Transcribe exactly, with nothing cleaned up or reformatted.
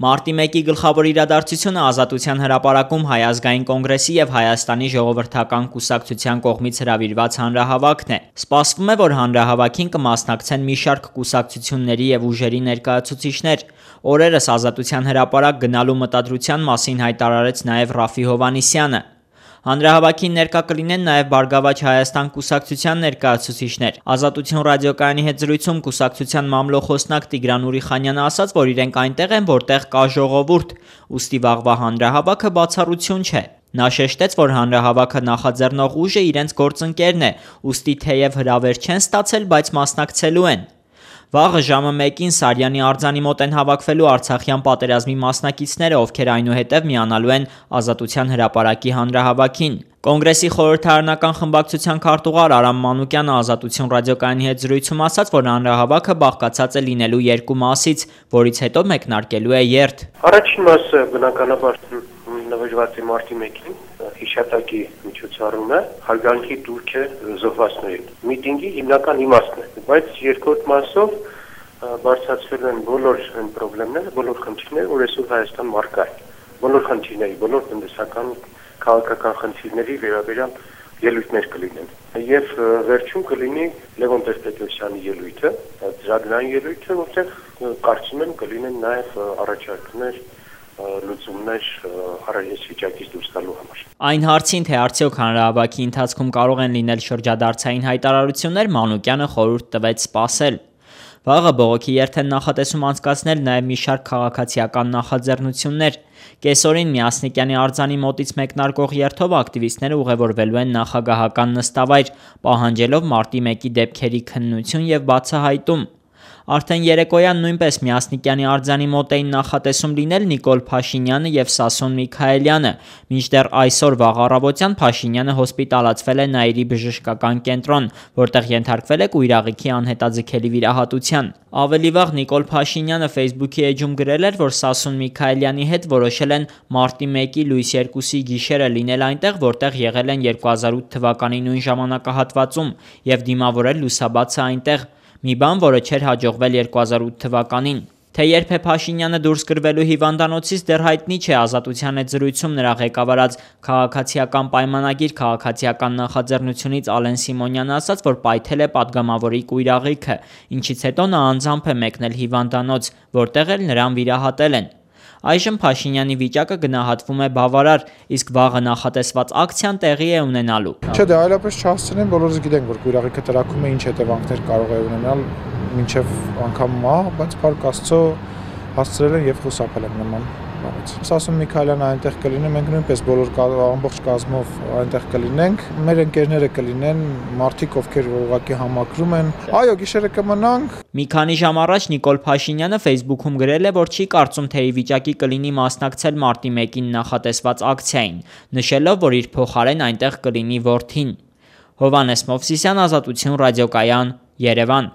Մարտի մեկի գլխավոր իրադարձությունը Ազատության հրապարակում Հայ ազգային կոնգրեսի և Հայաստանի ժողովրդական կուսակցության կողմից հրավիրված հանրահավաքն է։ Սպասվում է, որ հանրահավաքին կմասնակցեն մի շարք կուսակցությունների և ուժերի ներկայացուցիչներ։ Օրերս Ազատության հրապարակ գնալու մտադրության մասին հայտարարեց նաև Ռաֆֆի Հովհաննիսյանը։ Հանրահավաքին ներկա կլինեն նաև Բարգավաճ Հայաստան կուսակցության ներկայացուցիչներ։ Ազատություն ռադիոկայանի հետ զրույցում կուսակցության մամլոխոսնակ Տիգրան Ուրիխանյանը ասաց, որ իրենք այնտեղ են, որտեղ կա ժողովուրդ, ուստի վաղվա հանրահավաքը բացառություն չէ։ Նա շեշտեց, որ հանրահավաքը նախաձեռնող ուժը իրենց գործընկերն է, ուստի թեև հրավեր չեն ստացել, բայց մասնակցելու են։ Վաղը ժամը մեկին Սարյանի արձանի մոտ են հավաքվելու Արցախյան պատերազմի մասնակիցները, ովքեր այնուհետև միանալու են Ազատության հրապարակի հանրահավաքին։ Կոնգրեսի խորհրդարանական խմբակցության քարտուղար Արամ Մանուկյանը Ազատություն ռադիոկայանի հետ զրույցում ասաց, որ հանրահավաքը բաղկացած է լինելու երկու մասից, որից հետո մեկնարկելու է երթ։ Առաջին մասը բնականաբար նվիրված է մարտի մեկին, հիշատակի միջոցառումը, հարգանքի դուրք է զոհվածներին։ Միտինգի հիմնական իմաստն է, բայց երկրորդ մասով բարձրացվել են բոլոր այն խնդիրները, բոլոր խնդիրները, որ այսօր Հայաստան մարկա է։ Բոլոր խնդիրների, բոլոր տնտեսական, քաղաքական խնդիրների վերաբերյալ ելույթներ կլինեն։ Եվ վերջում կլինի Լևոն Տեր-Պետրոսյանի ելույթը, ծրագրային ելույթը, որտեղ կարծում եմ կլինեն նաև առաջարկներ, լուծումներ հարաճ վիճակից դուրս գալու համար։ Այն հարցին, թե արդյոք հանրահավաքի ընթացքում կարող են լինել շրջադարձային հայտարարություններ, Մանուկյանը խորհուրդ տվեց սպասել։ Վաղը բողոքի երթ են նախատեսում անցկացնել նաև մի շարք քաղաքացիական նախաձեռնություններ։ Կեսօրին Միասնիկյանի արձանի մոտից մեկնարկող երթով ակտիվիստները ուղևորվելու են նախագահական նստավայր, պահանջելով մարտի մեկի դեպքերի քննություն և բացահայտում։ Արդեն երեկոյան նույնպես Միասնիկյանի արձանի մոտ էին նախատեսում լինել Նիկոլ Փաշինյանը և Սասուն Միքայելյանը, մինչդեռ այսօր վաղ առավոտյան Փաշինյանը հոսպիտալացվել է Նաիրի բժշկական կենտրոն, որտեղ ենթարկվել է կույրաղիքի անհետաձգելի վիրահատության։ Ավելի վաղ Նիկոլ Փաշինյանը Facebook-ի էջում գրել էր, որ Սասուն Միքայելյանի հետ որոշել են մարտի մեկի լույս երկուսի գիշերը լինել այնտեղ, որտեղ եղել են երկու հազար ութ թվականի նույն ժամանակահատվածում, և դիմավորել լուսաբացը այնտեղ, մի բան, որը չէր հաջողվել երկու հազար ութ թվականին։ Թե երբ է Փաշինյանը դուրս գրվելու հիվանդանոցից դեռ հայտնի չէ։ Ազատության հետ զրույցում նրա ղեկավարած քաղաքացիական պայմանագիր քաղաքացիական նախաձեռնությունից Ալեն Սիմոնյանը ասաց, որ պայթել է պատգամավորի կույրաղիքը, ինչից հետո նա անձամբ է մեկնել հիվանդանոց, որտեղ էլ նրան վիրահատել են։ Այժմ Փաշինյանի վիճակը գնահատվում է բավարար, իսկ վաղը նախատեսված ակցիան տեղի է ունենալու։ Չէ, դե այլապես չհասցնեն, բոլորս գիտենք, որ կույրաղիքը տրակում է, ինչ հետևանքներ կարող է ունենալ մինչև անգամ մահ, բայց Փառք Աստծո հասցրել են եւ խուսափել են նման բանից։ Սասուն Միքայելյանը այնտեղ կլինի, մենք նույնպես բոլոր ամբողջ կազմով այնտեղ կլինենք, մեր ընկերները կլինեն, մարդիկ, ովքեր ուղղակի համակրում են։ Այո, գիշերը կմնանք։ Մի քանի ժամ առաջ Նիկոլ Փաշինյանը Facebook-ում գրել է, որ չի կարծում, թե ի վիճակի կլինի մասնակցել մարտի մեկին նախատեսված ակցիային, նշելով, որ իր փոխարեն այնտեղ կլինի որդին։ Հովհաննես Մովսիսյան, Ազատություն ռադիոկայան, Երևան։